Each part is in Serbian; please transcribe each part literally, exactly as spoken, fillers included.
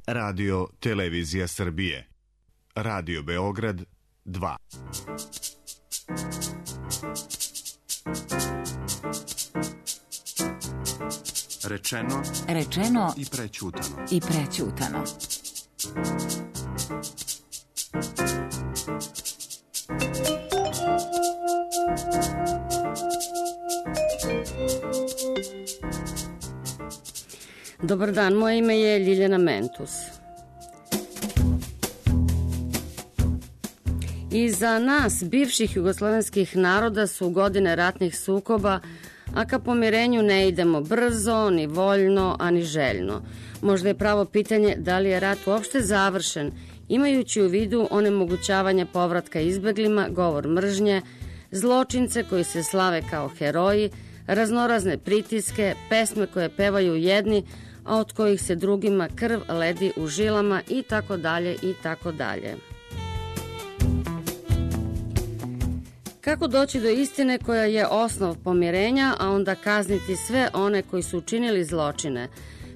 Radio Televizija Srbije. Radio Beograd dva. Rečeno, rečeno i prećutano. I prećutano. Dobar dan, moje ime je Ljiljana Mentus. I za nas, bivših jugoslovenskih naroda, su godine ratnih sukoba, a ka pomirenju ne idemo brzo, ni voljno, a ni željno. Možda je pravo pitanje da li je rat uopšte završen, imajući u vidu onemogućavanje povratka izbeglima, govor mržnje, zločince koji se slave kao heroji, raznorazne pritiske, pesme koje pevaju jedni, a od kojih se drugima krv ledi u žilama i tako dalje i tako dalje. Kako doći do istine koja je osnov pomirenja, a onda kazniti sve one koji su učinili zločine,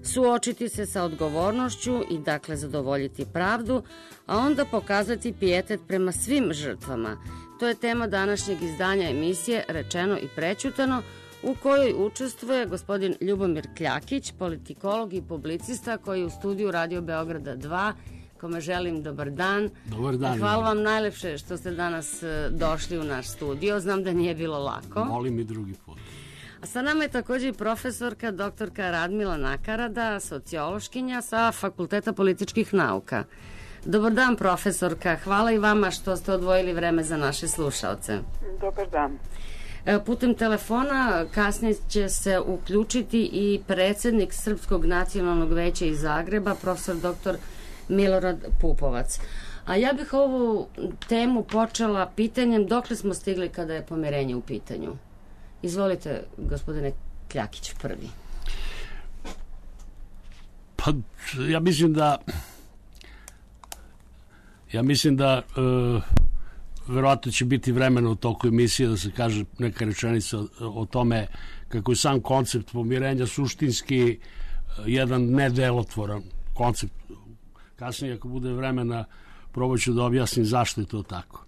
suočiti se sa odgovornošću i dakle zadovoljiti pravdu, a onda pokazati pijetet prema svim žrtvama. To je tema današnjeg izdanja emisije Rečeno i prećutano, u kojoj učestvuje gospodin Ljubomir Kljakić, politikolog i publicista koji je u studiju Radio Beograda dva, kome želim dobar dan. Dobar dan. Hvala vam najlepše što ste danas došli u naš studio. Znam da nije bilo lako. Molim i drugi put. A sa nama je također i profesorka doktorka Radmila Nakarada, sociološkinja sa Fakulteta političkih nauka. Dobar dan, profesorka. Hvala i vama što ste odvojili vreme za naše slušaoce. Dobar dan. Putem telefona kasnije će se uključiti i predsjednik Srpskog nacionalnog veća iz Zagreba, profesor doktor Milorad Pupovac. A ja bih ovu temu počela pitanjem dokle smo stigli kada je pomirenje u pitanju. Izvolite, gospodine Kljakić, prvi. Pa, ja mislim da ja mislim da uh, verovatno će biti vremena u toku emisije da se kaže neka rečenica o, o tome kako je sam koncept pomirenja suštinski uh, jedan nedelotvoran koncept. Kasnije, ako bude vremena, probat ću da objasnim zašto je to tako.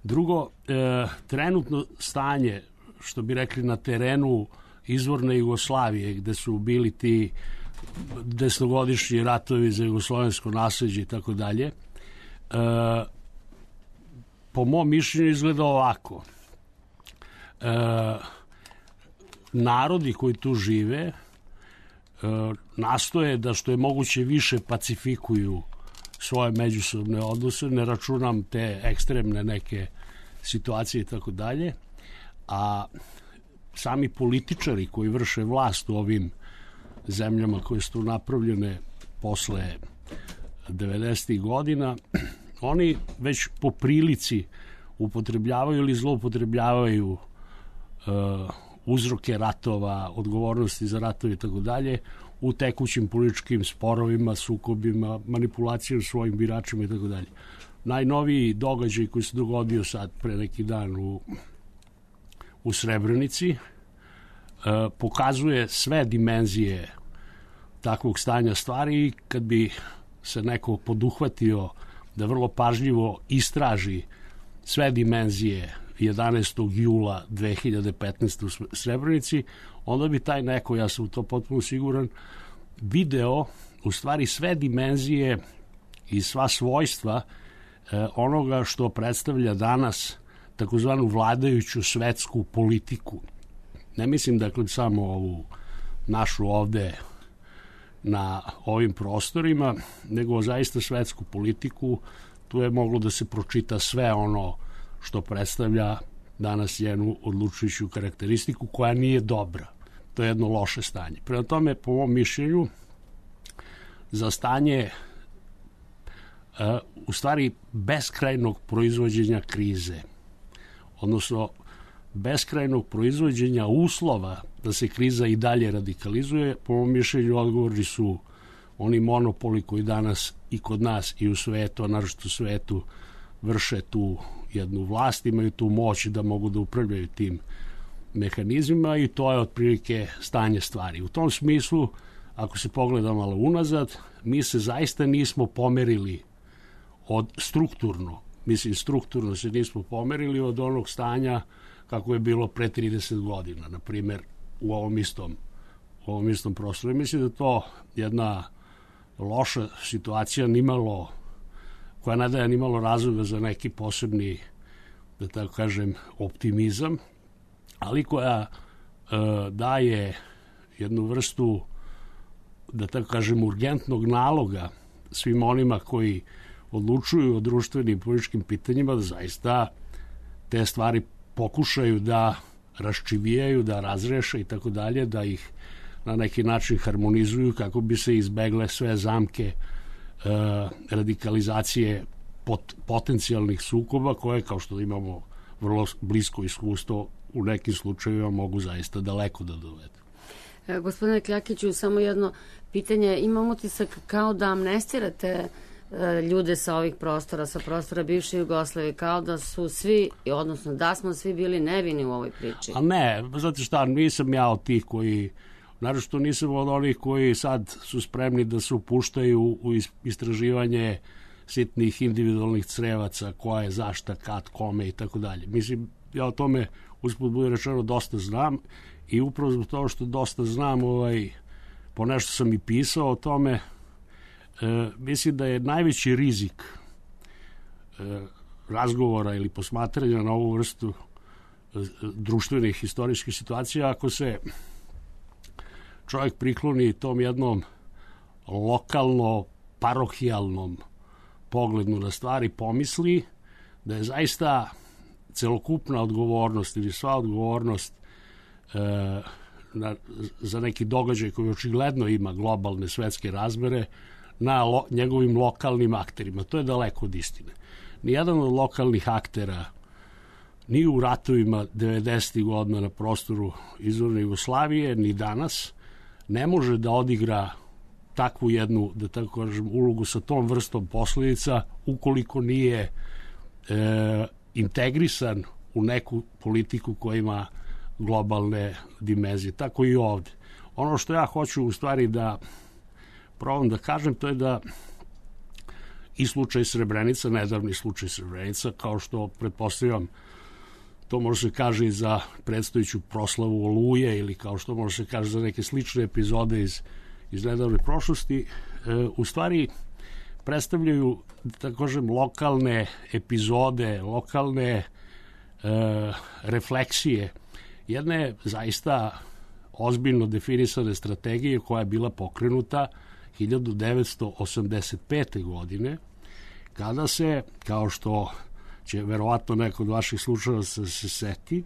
Drugo, e, trenutno stanje, što bi rekli na terenu izvorne Jugoslavije, gde su bili ti desetogodišnji ratovi za jugoslovensko nasleđe i tako dalje, po mom mišljenju izgleda ovako. E, narodi koji tu žive e, nastoje da što je moguće više pacifikuju svoje međusobne odnose, ne računam te ekstremne neke situacije i tako dalje, a sami političari koji vrše vlast u ovim zemljama koje su napravljene posle devedesetih godina, oni već po prilici upotrebljavaju ili zloupotrebljavaju uh, uzroke ratova, odgovornosti za ratove i tako dalje u tekućim političkim sporovima, sukobima, manipulacijom svojim biračima i tako dalje. Najnoviji događaj koji se dogodio sad pre neki dan u, u Srebrenici uh, pokazuje sve dimenzije takvog stanja stvari i kad bi se neko poduhvatio da vrlo pažljivo istraži sve dimenzije jedanaestog jula dve hiljade petnaeste. u Srebrenici, onda bi taj neko, ja sam u to potpuno siguran, video u stvari sve dimenzije i sva svojstva eh, onoga što predstavlja danas takozvanu vladajuću svetsku politiku. Ne mislim dakle samo ovu našu ovde na ovim prostorima, nego zaista svetsku politiku. Tu je moglo da se pročita sve ono što predstavlja danas jednu odlučujuću karakteristiku koja nije dobra. To je jedno loše stanje. Prema tome, po mom mišljenju, za stanje uh, u stvari beskrajnog proizvođenja krize, odnosno beskrajnog proizvođenja uslova da se kriza i dalje radikalizuje, po mom mišljenju odgovorni su oni monopoli koji danas i kod nas i u svetu, a naročito u svetu, vrše tu jednu vlast, imaju tu moć da mogu da upravljaju tim mehanizmima i to je otprilike stanje stvari. U tom smislu ako se pogleda malo unazad, mi se zaista nismo pomerili od strukturno, mislim strukturno se nismo pomerili od onog stanja kako je bilo pre trideset godina, na primjer u ovom istom, u ovom istom prostoru. Mislim da to jedna loša situacija, nimalo, koja ne daje nimalo razloga za neki posebni, da tako kažem, optimizam, ali koja e, daje jednu vrstu, da tako kažem, urgentnog naloga svim onima koji odlučuju o društvenim i političkim pitanjima da zaista te stvari pokušaju da raščivijaju, da razreše i tako dalje, da ih na neki način harmonizuju kako bi se izbegle sve zamke e, radikalizacije pot, potencijalnih sukoba koje, kao što imamo vrlo blisko iskustvo, u nekim slučajevima mogu zaista daleko da dovedu. E, gospodine Kljakiću, samo jedno pitanje. Imam utisak kao da amnestirate e, ljude sa ovih prostora, sa prostora bivše Jugoslavije, kao da su svi, odnosno da smo svi bili nevini u ovoj priči. A ne, znate šta, nisam ja od tih koji, naročito nisam od onih koji sad su spremni da se upuštaju u istraživanje sitnih individualnih crevaca, koja je zašta, kad, kome i tako dalje. Mislim, ja o tome usput bude rečeno dosta znam i upravo zbog toga što dosta znam, ovaj, po nešto sam i pisao o tome, e, mislim da je najveći rizik e, razgovora ili posmatranja na ovu vrstu e, društvenih historijskih situacija ako se čovjek prikloni tom jednom lokalno parohijalnom pogledu na stvari, pomisli da je zaista celokupna odgovornost ili sva odgovornost e, na, za neki događaj koji očigledno ima globalne svetske razmere na lo, njegovim lokalnim akterima. To je daleko od istine. Nijedan od lokalnih aktera ni u ratovima devedesetih godina na prostoru izvorne Jugoslavije, ni danas, ne može da odigra takvu jednu, da tako kažem, ulogu sa tom vrstom posljedica ukoliko nije e, integrisan u neku politiku koja ima globalne dimenzije. Tako i ovde. Ono što ja hoću u stvari da probam da kažem, to je da i slučaj Srebrenica, nedavni slučaj Srebrenica, kao što pretpostavljam to može se kaže i za predstojeću proslavu Oluje ili kao što može se kaže za neke slične epizode iz, iz nedavne prošlosti, e, u stvari predstavljaju, da tako kažem, lokalne epizode, lokalne e, refleksije jedne zaista ozbiljno definisane strategije koja je bila pokrenuta hiljadu devetsto osamdeset pete. godine, kada se, kao što će verovatno neko od vaših slučajeva se, se seti,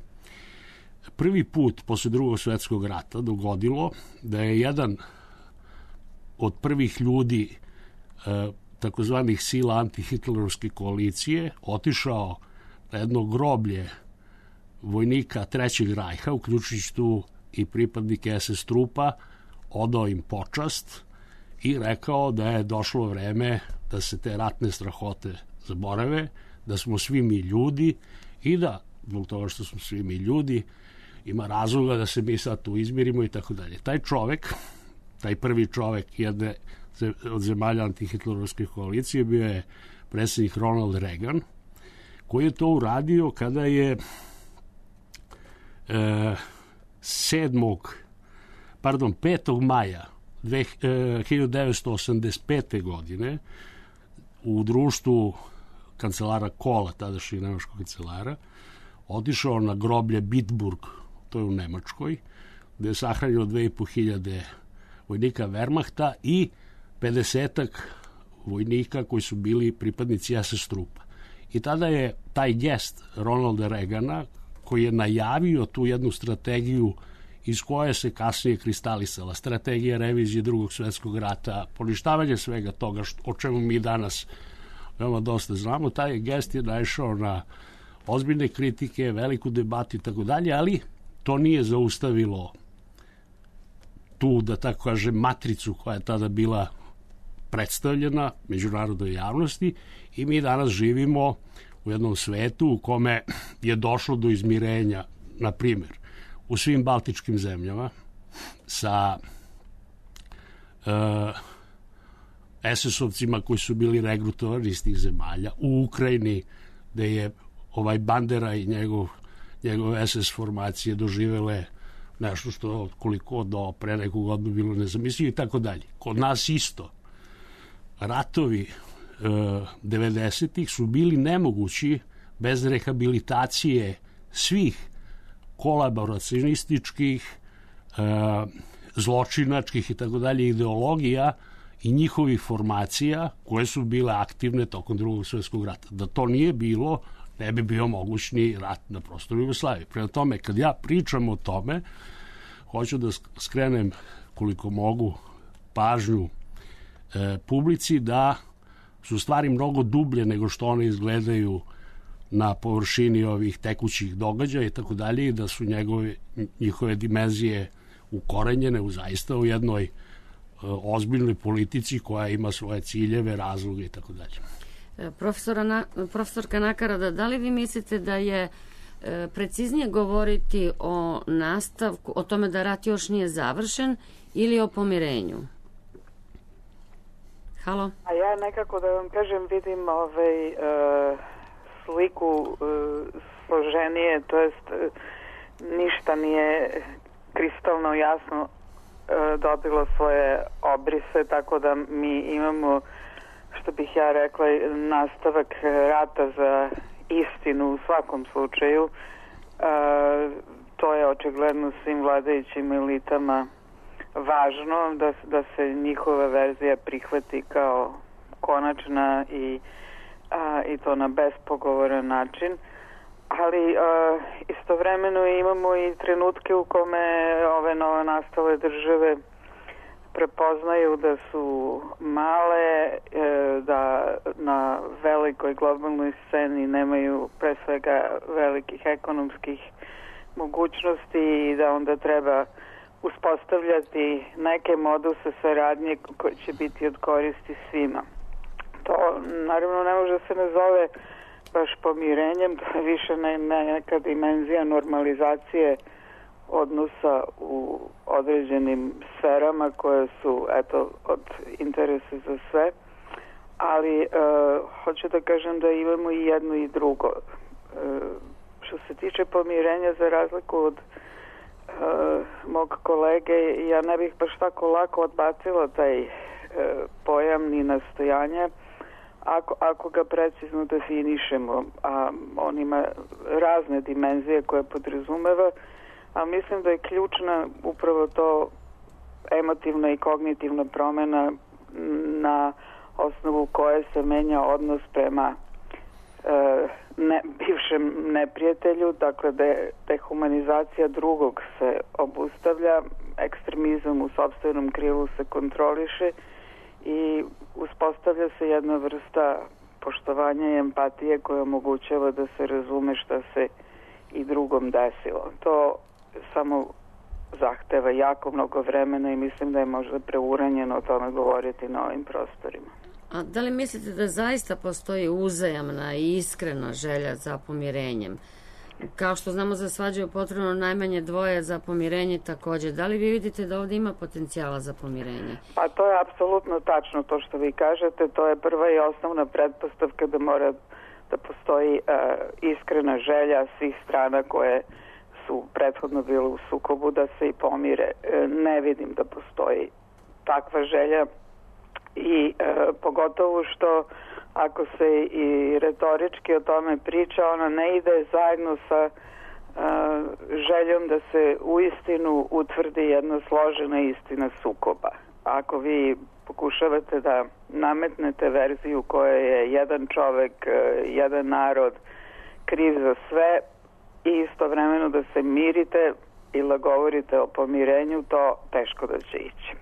prvi put posle drugog svetskog rata dogodilo da je jedan od prvih ljudi e, takozvanih sila antihitlerovske koalicije otišao na jedno groblje vojnika Trećeg rajha, uključujući tu i pripadnike es es trupa, odao im počast i rekao da je došlo vreme da se te ratne strahote zaborave, da smo svi mi ljudi i da, zbog toga što smo svi mi ljudi, ima razloga da se mi sad tu izmirimo i tako dalje. Taj čovek, taj prvi čovek jedne od zemalja antihitlerovske koalicije bio je predsjednik Ronald Reagan, koji je to uradio kada je e, sedmog pardon, petog maja hiljadu devetsto osamdeset pete. godine u društvu kancelara Kohla, tadašnjeg nemačkog kancelara, otišao na groblje Bitburg, to je u Nemačkoj, gde je sahranjeno dve i po hiljade vojnika Wehrmachta i pedesetak vojnika koji su bili pripadnici es es trupa. I tada je taj gest Ronalda Reagana, koji je najavio tu jednu strategiju iz koje se kasnije kristalisala, strategija revizije drugog svetskog rata, poništavanje svega toga što, o čemu mi danas veoma dosta znamo, taj gest je naišao na ozbiljne kritike, veliku debatu i tako dalje, ali to nije zaustavilo tu, da tako kažem, matricu koja je tada bila predstavljena međunarodnoj javnosti i mi danas živimo u jednom svetu u kome je došlo do izmirenja, na primjer, u svim baltičkim zemljama sa es es ovcima koji su bili regrutovani iz tih zemalja, u Ukrajini, gde je ovaj Bandera i njegov, njegov es es formacije doživele nešto što koliko do pre neku godinu bilo nezamislivo i tako dalje. Kod nas isto. Ratovi e, devedesetih su bili nemogući bez rehabilitacije svih kolaboracionističkih, e, zločinačkih i tako dalje ideologija i njihovih formacija koje su bile aktivne tokom Drugog svjetskog rata. Da to nije bilo, ne bi bio mogućni rat na prostoru Jugoslavije. Prema tome, kad ja pričam o tome, hoću da skrenem koliko mogu pažnju e, publici da su stvari mnogo dublje nego što one izgledaju na površini ovih tekućih događaja i tako dalje i da su njegove, njihove dimenzije ukorenjene u zaista u jednoj e, ozbiljnoj politici koja ima svoje ciljeve, razloge i tako dalje. Profesora Na, profesorka Nakarada, da li vi mislite da je e, preciznije govoriti o nastavku, o tome da rat još nije završen ili o pomirenju? Halo? A ja nekako da vam kažem vidim ovaj, e, sliku e, složenije, to jest e, ništa nije kristalno jasno e, dobilo svoje obrise, tako da mi imamo, što bih ja rekla, nastavak rata za istinu u svakom slučaju. E, to je očigledno svim vladajućim elitama važno da, da se njihova verzija prihvati kao konačna i, a, i to na bespogovoran način. Ali a, istovremeno imamo i trenutke u kome ove nova nastale države prepoznaju da su male, da na velikoj globalnoj sceni nemaju pre svega velikih ekonomskih mogućnosti i da onda treba uspostavljati neke moduse saradnje koje će biti od koristi svima. To naravno ne može se ne zove baš pomirenjem, to je više ne, ne, neka dimenzija normalizacije odnosa u određenim sferama koje su eto od interesa za sve, ali e, hoću da kažem da imamo i jedno i drugo. E, što se tiče pomirenja, za razliku od e, mog kolege, ja ne bih baš tako lako odbacila taj e, pojam ni nastojanja ako, ako ga precizno definišemo, a on ima razne dimenzije koje podrazumeva, a mislim da je ključna upravo to emotivna i kognitivna promjena na osnovu koje se menja odnos prema e, ne, bivšem neprijatelju, dakle da dehumanizacija drugog se obustavlja, ekstremizam u sopstvenom krilu se kontroliše i uspostavlja se jedna vrsta poštovanja i empatije koja omogućava da se razume šta se i drugom desilo. To samo zahteva jako mnogo vremena i mislim da je možda preuranjeno o tome govoriti na ovim prostorima. A da li mislite da zaista postoji uzajamna i iskrena želja za pomirenjem? Kao što znamo, za svađu je potrebno najmanje dvoje, za pomirenje također. Da li vi vidite da ovdje ima potencijala za pomirenje? Pa to je apsolutno tačno to što vi kažete. To je prva i osnovna pretpostavka da mora da postoji uh, iskrena želja svih strana koje su prethodno bile u sukobu da se i pomire. Uh, ne vidim da postoji takva želja i uh, pogotovo što ako se i retorički o tome priča, ona ne ide zajedno sa uh, željom da se uistinu utvrdi jedna složena istina sukoba. Ako vi pokušavate da nametnete verziju koja je jedan čovek, jedan narod kriv za sve i istovremeno da se mirite ili govorite o pomirenju, to teško da će ići.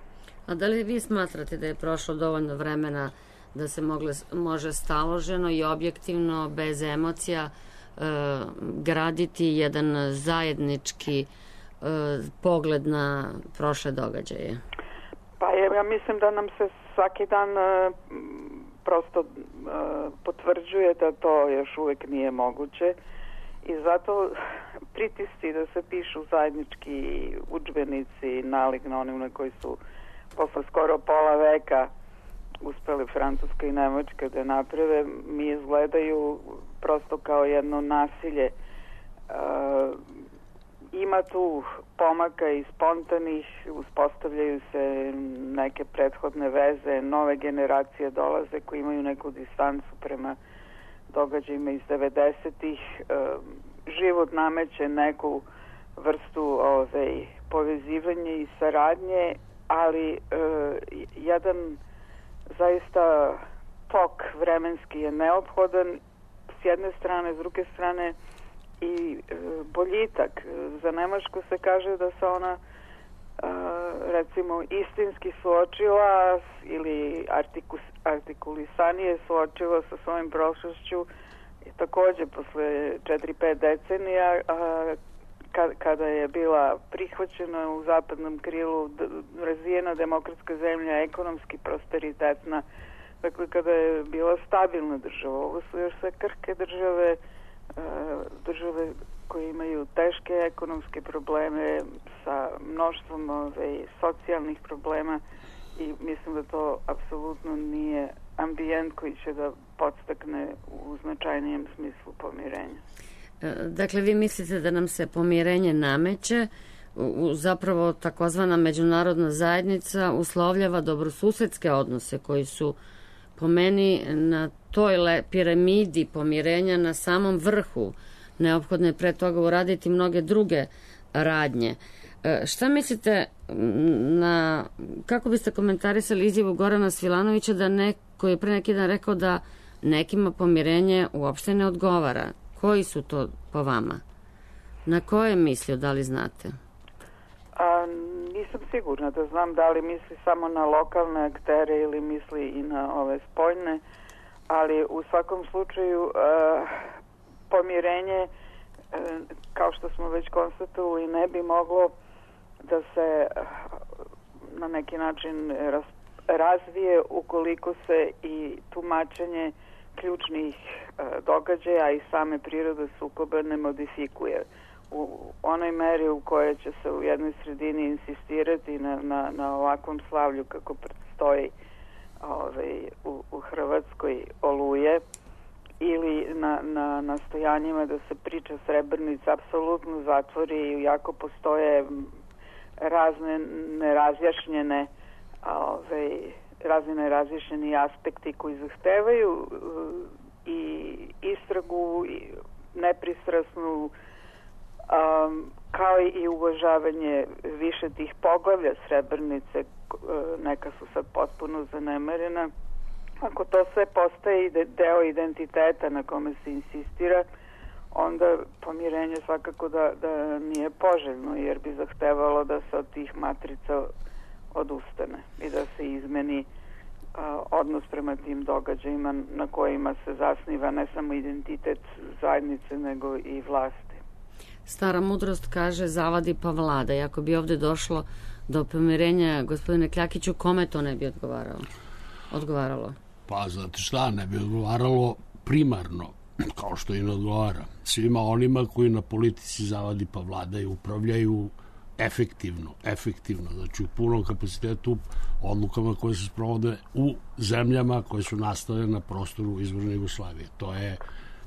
A da li vi smatrate da je prošlo dovoljno vremena da se mogle, može staloženo i objektivno, bez emocija, e, graditi jedan zajednički e, pogled na prošle događaje? Pa ja mislim da nam se svaki dan e, prosto e, potvrđuje da to još uvijek nije moguće i zato pritisci da se pišu zajednički udžbenici nalik na onima koji su posle skoro pola veka uspeli Francuska i Nemačka da naprave, mi izgledaju prosto kao jedno nasilje. Uh, ima tu pomaka i spontanih, uspostavljaju se neke prethodne veze, nove generacije dolaze koji imaju neku distancu prema događajima iz devedesetih. Uh, život nameće neku vrstu ove, povezivanja i saradnje, ali uh, jedan zaista tok vremenski je neophodan s jedne strane, s druge strane i e, boljitak. Za Nemačku se kaže da se ona e, recimo istinski suočila ili artikus, artikulisanije suočila sa svojim prošlošću i takođe posle četiri pet decenija a, kad, kada je bila prihvaćena u zapadnom krilu d, razvijena demokratska zemlja, ekonomski prosperitetna, dakle kada je bila stabilna država. Ovo su još sve krhke države, države koje imaju teške ekonomske probleme sa mnoštvom ove, socijalnih problema i mislim da to apsolutno nije ambijent koji će da podstakne u značajnijem smislu pomirenja. Dakle, vi mislite da nam se pomirenje nameće, zapravo takozvana međunarodna zajednica uslovljava dobrosusedske odnose koji su po meni na toj le, piramidi pomirenja na samom vrhu. Neophodno je pre toga uraditi mnoge druge radnje. E, šta mislite, na, kako biste komentarisali izjavu Gorana Svilanovića da neko je pre neki dan rekao da nekima pomirenje uopšte ne odgovara? Koji su to po vama? Na koje je mislio, da li znate? A, nisam sigurna da znam da li misli samo na lokalne aktere ili misli i na ove spoljne, ali u svakom slučaju a, pomirenje, a, kao što smo već konstatovali, ne bi moglo da se a, na neki način raz, razvije ukoliko se i tumačenje ključnih a, događaja i same prirode sukoba ne modifikuje u onoj meri u kojoj će se u jednoj sredini insistirati na, na, na ovakvom slavlju kako predstoji ovaj, u, u Hrvatskoj Oluje ili na, na nastojanjima da se priča Srebrenica apsolutno zatvori, iako postoje razne nerazjašnjene ovaj, razne nerazjašnjeni aspekti koji zahtevaju i istragu i nepristrasnu, Um, kao i uvažavanje više tih poglavlja Srebrenice, neka su sad potpuno zanemarena. Ako to sve postaje deo identiteta na kome se insistira, onda pomirenje svakako da, da nije poželjno, jer bi zahtevalo da se od tih matrica odustane i da se izmeni a, odnos prema tim događajima na kojima se zasniva ne samo identitet zajednice, nego i vlasti. Stara mudrost kaže zavadi pa vlada. I ako bi ovde došlo do pomirenja, gospodine Kljakiću, kome to ne bi odgovaralo? odgovaralo? Pa, znate šta, ne bi odgovaralo primarno, kao što i ne odgovara. Svima onima koji na politici zavadi pa vlada i upravljaju efektivno, efektivno, znači u punom kapacitetu odlukama koje se sprovode u zemljama koje su nastale na prostoru izvorne Jugoslavije. To je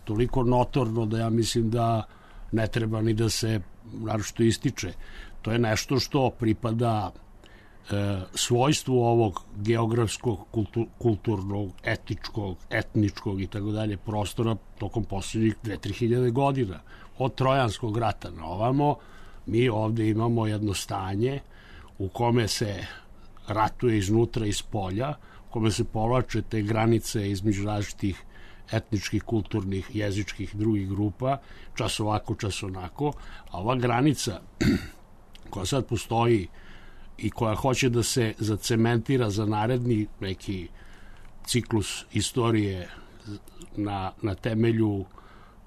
toliko notorno da ja mislim da ne treba ni da se naročito ističe. To je nešto što pripada e, svojstvu ovog geografskog, kultur, kulturnog, etičkog, etničkog i tako dalje prostora tokom posljednjih dve do tri hiljade godina. Od Trojanskog rata na ovamo mi ovde imamo jedno stanje u kome se ratuje iznutra i spolja, u kome se povlače te granice između različitih etničkih, kulturnih, jezičkih drugih grupa, čas ovako, čas onako, a ova granica koja sad postoji i koja hoće da se zacementira za naredni neki ciklus istorije na, na temelju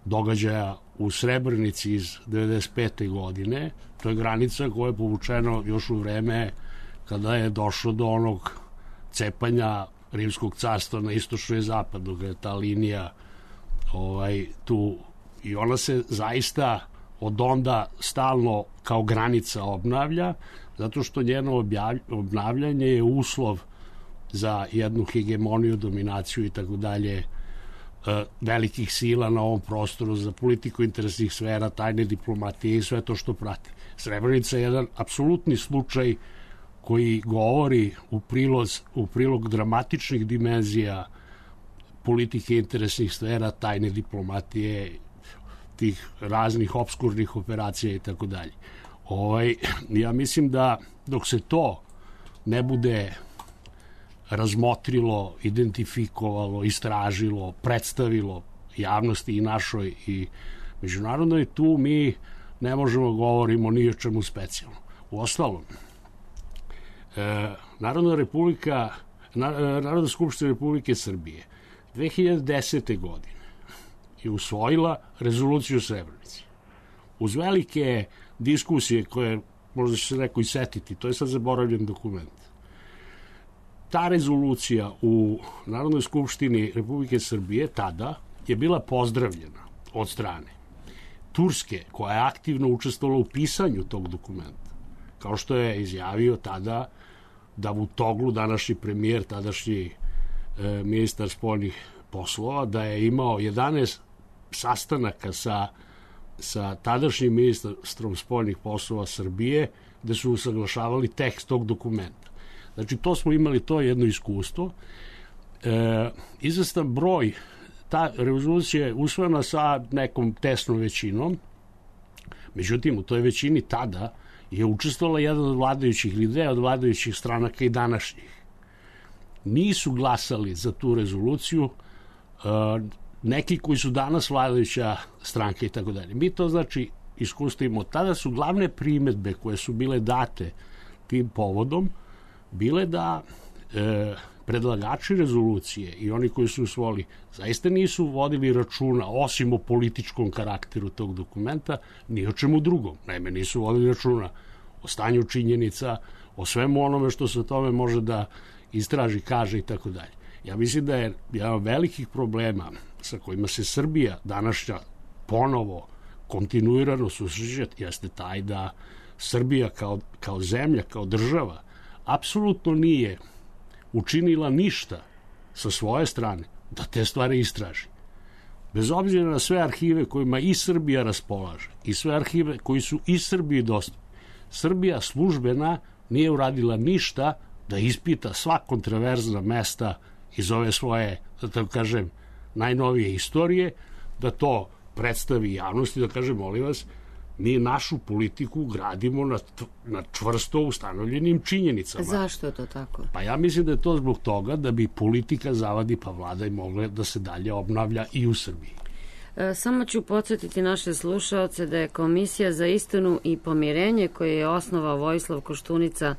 događaja u Srebrenici iz devedeset pete godine, to je granica koja je povučena još u vreme kada je došlo do onog cepanja Rimskog carstva na istočno i zapadno, gde je ta linija ovaj, tu, i ona se zaista od onda stalno kao granica obnavlja, zato što njeno obnavljanje je uslov za jednu hegemoniju, dominaciju i tako dalje velikih sila na ovom prostoru, za politiku interesnih sfera, tajne diplomatije i sve to što prati. Srebrenica je jedan apsolutni slučaj koji govori u prilog, u prilog dramatičnih dimenzija politike interesnih sfera, tajne diplomatije, tih raznih obskurnih operacija i tako dalje. Ovaj, ja mislim da dok se to ne bude razmotrilo, identifikovalo, istražilo, predstavilo javnosti i našoj i međunarodnoj, tu mi ne možemo govorimo ni o čemu specijalno. U ostalom, e, Narodna republika, Narodna skupština Republike Srbije dve hiljade desete. godine je usvojila rezoluciju Srebrenici. Uz velike diskusije koje možda će se neko i setiti, to je sad zaboravljen dokument. Ta rezolucija u Narodnoj skupštini Republike Srbije tada je bila pozdravljena od strane Turske, koja je aktivno učestvovala u pisanju tog dokumenta. Kao što je izjavio tada Davutoglu, današnji premijer, tadašnji e, ministar spoljnih poslova, da je imao jedanaest sastanaka sa, sa tadašnjim ministrom spoljnih poslova Srbije, gde su usaglašavali tekst tog dokumenta. Znači, to smo imali to jedno iskustvo. E, izvestan broj, ta rezolucija je usvojena sa nekom tesnom većinom, međutim, u toj većini tada je učestvovala jedan od vladajućih ili dve od vladajućih stranaka i današnjih. Nisu glasali za tu rezoluciju e, neki koji su danas vladajuća stranka i tako dalje. Mi to, znači, iskustvimo. Tada su glavne primedbe koje su bile date tim povodom bile da e, predlagači rezolucije i oni koji su usvojili zaista nisu vodili računa, osim o političkom karakteru tog dokumenta, ni o čemu drugom. Naime, nisu vodili računa o stanju činjenica, o svemu onome što se o tome može da istraži, kaže i tako dalje. Ja mislim da je jedan od velikih problema sa kojima se Srbija današnja ponovo kontinuirano susreće jeste taj da Srbija kao, kao zemlja, kao država, apsolutno nije učinila ništa sa svoje strane da te stvari istraži. Bez obzira na sve arhive kojima i Srbija raspolaže i sve arhive koji su i Srbiji dostupni, Srbija službena nije uradila ništa da ispita sva kontroverzna mesta iz ove svoje, da tako kažem, najnovije istorije, da to predstavi javnosti, da kaže, molim vas, mi našu politiku gradimo na, na čvrsto ustanovljenim činjenicama. Zašto je to tako? Pa ja mislim da je to zbog toga da bi politika zavadi pa vlada i mogla da se dalje obnavlja i u Srbiji. E, samo ću podsjetiti naše slušaoce da je Komisija za istinu i pomirenje koje je osnovao Vojislav Koštunica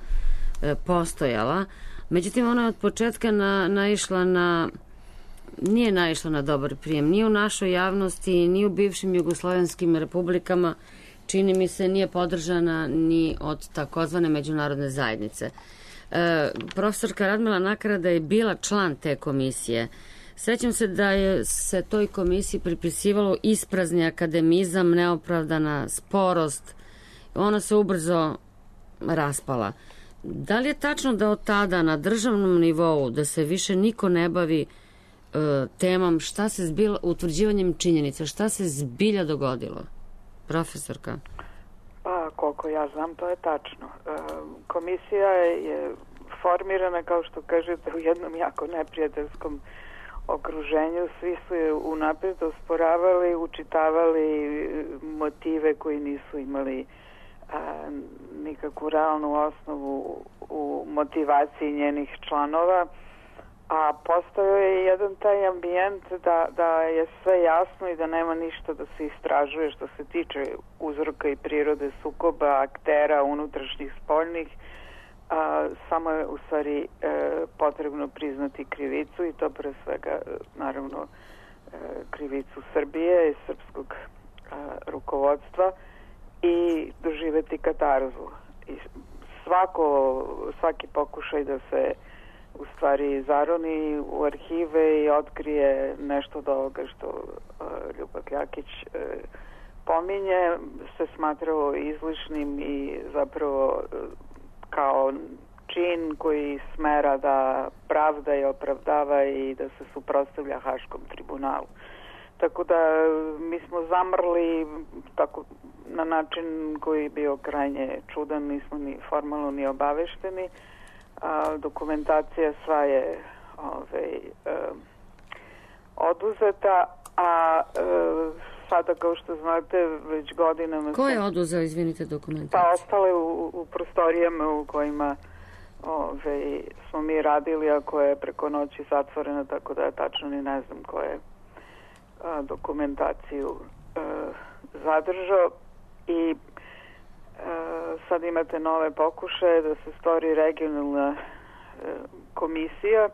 e, postojala. Međutim, ona je od početka na, naišla na nije naišla na dobar prijem. Ni u našoj javnosti, ni u bivšim jugoslovenskim republikama, čini mi se, nije podržana ni od takozvane međunarodne zajednice. E, profesorka Radmila Nakarada je bila član te komisije. Sećam se da je se toj komisiji pripisivalo isprazni akademizam, neopravdana sporost. Ona se ubrzo raspala. Da li je tačno da od tada na državnom nivou da se više niko ne bavi temom šta se zbilo, utvrđivanjem činjenica, šta se zbilja dogodilo? Profesorka. Pa, koliko ja znam, to je tačno. Komisija je formirana, kao što kažete, u jednom jako neprijateljskom okruženju. Svi su je unapred osporavali, učitavali motive koji nisu imali a, nikakvu realnu osnovu u motivaciji njenih članova. A postojao je jedan taj ambijent da, da je sve jasno i da nema ništa da se istražuje što se tiče uzroka i prirode sukoba, aktera, unutrašnjih, spoljnih. A, samo je u stvari e, potrebno priznati krivicu i to pre svega, naravno, e, krivicu Srbije i srpskog a, rukovodstva i doživeti katarzu. I svako, svaki pokušaj da se u stvari zaroni u arhive i otkrije nešto od ovoga što uh, Ljubak Jakić uh, pominje, se smatrao izlišnim i zapravo uh, kao čin koji smera da pravda i opravdava i da se suprotstavlja Haškom tribunalu. Tako da mi smo zamrli tako, na način koji je bio krajnje čudan, nismo ni formalno ni obavešteni. A, dokumentacija sva je ovaj, e, oduzeta, a e, sada, kao što znate, već godinama... Ko je oduzeo, izvinite, dokumentaciju? Pa ostale u, u prostorijama u kojima ove, smo mi radili, a koja je preko noći zatvorena, tako da ja tačno ni ne znam ko je a, dokumentaciju a, zadržao. I a, sad imate nove pokušaje da se stvori regionalna a, komisija.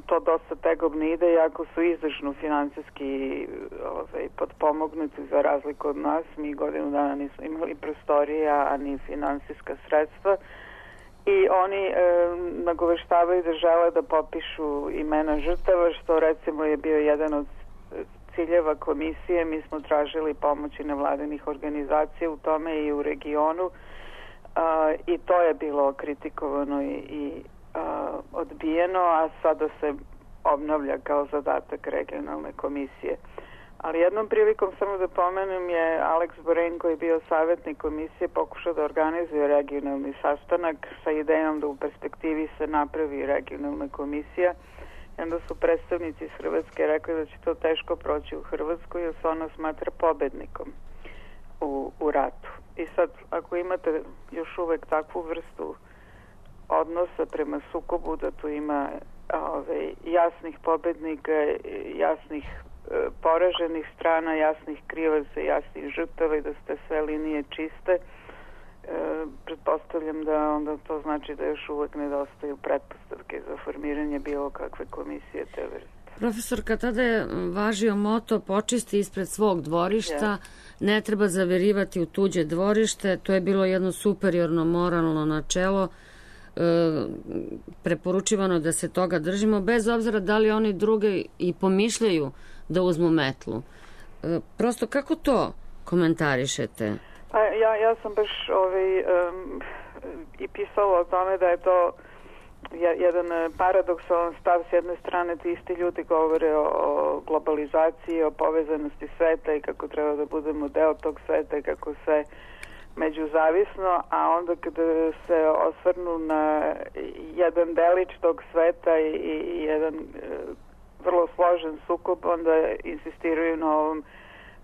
To dosta tegobno ide, iako su izdašno finansijski ovaj, podpomognuti za razliku od nas. Mi godinu dana nismo imali prostorija, a ni finansijska sredstva. I oni e, nagoveštavaju da žele da popišu imena žrtava, što recimo je bio jedan od ciljeva komisije. Mi smo tražili pomoći nevladinih organizacija u tome i u regionu. A, i to je bilo kritikovano i, i a, odbijeno, a sada se obnavlja kao zadatak regionalne komisije. Ali jednom prilikom, samo da pomenem, je Alex Boren, koji je bio savjetnik komisije, pokušao da organizuje regionalni sastanak sa idejom da u perspektivi se napravi regionalna komisija. I onda su predstavnici iz Hrvatske rekli da će to teško proći u Hrvatskoj, jer se ona smatra pobednikom u, u ratu. I sad, ako imate još uvek takvu vrstu odnosa prema sukobu, da tu ima ove, jasnih pobednika, jasnih poraženih strana, jasnih krivaca, jasnih žrtava i da ste sve linije čiste, e, pretpostavljam da onda to znači da još uvek nedostaju pretpostavke za formiranje bilo kakve komisije te vrste. Profesorka, tada je važio moto počisti ispred svog dvorišta, ja. Ne treba zaverivati u tuđe dvorište, to je bilo jedno superiorno moralno načelo, e, preporučivano da se toga držimo, bez obzira da li oni druge i pomišljaju da uzmu metlu. E, prosto, kako to komentarišete? Pa, ja, ja sam baš ovaj, um, i pisala o tome da je to jedan paradoksalan stav. S jedne strane ti isti ljudi govore o, o globalizaciji, o povezanosti sveta i kako treba da budemo deo tog sveta i kako sve međuzavisno, a onda kada se osvrnu na jedan delić tog sveta i, i jedan vrlo složen sukob, onda insistiraju na ovom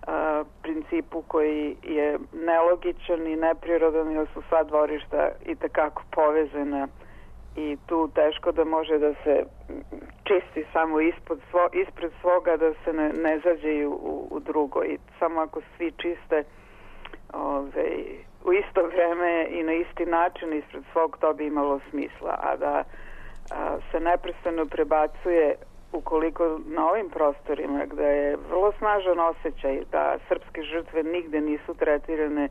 a, principu koji je nelogičan i neprirodan, jer su sva dvorišta i tekako povezana i tu teško da može da se čisti samo ispod svo, ispred svoga, da se ne, ne zađeju u, u drugo. I samo ako svi čiste ove, u isto vreme i na isti način ispred svog, to bi imalo smisla. A da a, se neprestano prebacuje, ukoliko na ovim prostorima gde je vrlo snažan osjećaj da srpske žrtve nigde nisu tretirane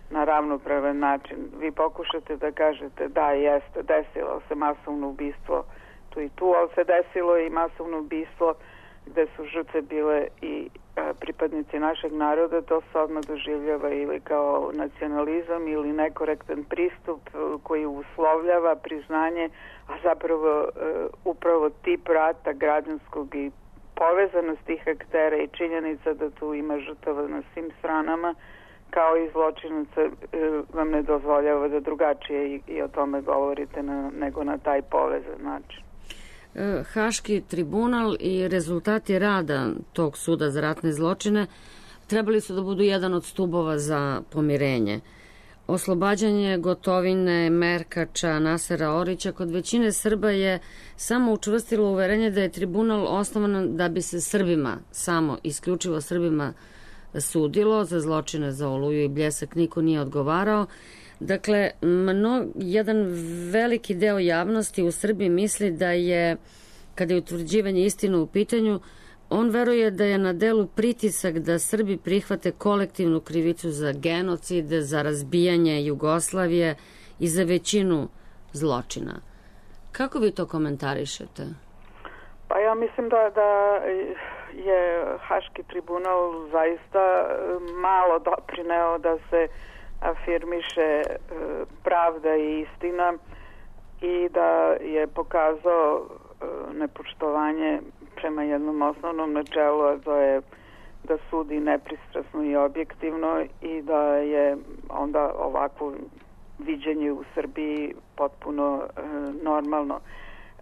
na ravnopravan način, vi pokušate da kažete da jeste, desilo se masovno ubistvo tu i tu, ali se desilo i masovno ubistvo gde su žrtve bile i a, pripadnici našeg naroda. To se odmah doživljava ili kao nacionalizam ili nekorektan pristup koji uslovljava priznanje, a zapravo uh, upravo tip rata građanskog i povezanost tih aktera i činjenica da tu ima žrtava na svim stranama kao i zločinaca uh, vam ne dozvoljava da drugačije i, i o tome govorite na, nego na taj povezan način. Haški tribunal i rezultati rada tog suda za ratne zločine trebali su da budu jedan od stubova za pomirenje. Oslobađanje Gotovine, Merkača, Nasera Orića kod većine Srba je samo učvrstilo uverenje da je tribunal osnovan da bi se Srbima, samo isključivo Srbima, sudilo. Za zločine za Oluju i Bljesak niko nije odgovarao. Dakle, mno, jedan veliki deo javnosti u Srbiji misli da je, kada je utvrđivanje istine u pitanju, on veruje da je na delu pritisak da Srbi prihvate kolektivnu krivicu za genocid, za razbijanje Jugoslavije i za većinu zločina. Kako vi to komentarišete? Pa ja mislim da, da je Haški tribunal zaista malo doprineo da se afirmiše pravda i istina i da je pokazao nepoštovanje prema jednom osnovnom načelu, a to je da sudi nepristrasno i objektivno i da je onda ovakvo viđenje u Srbiji potpuno e, normalno.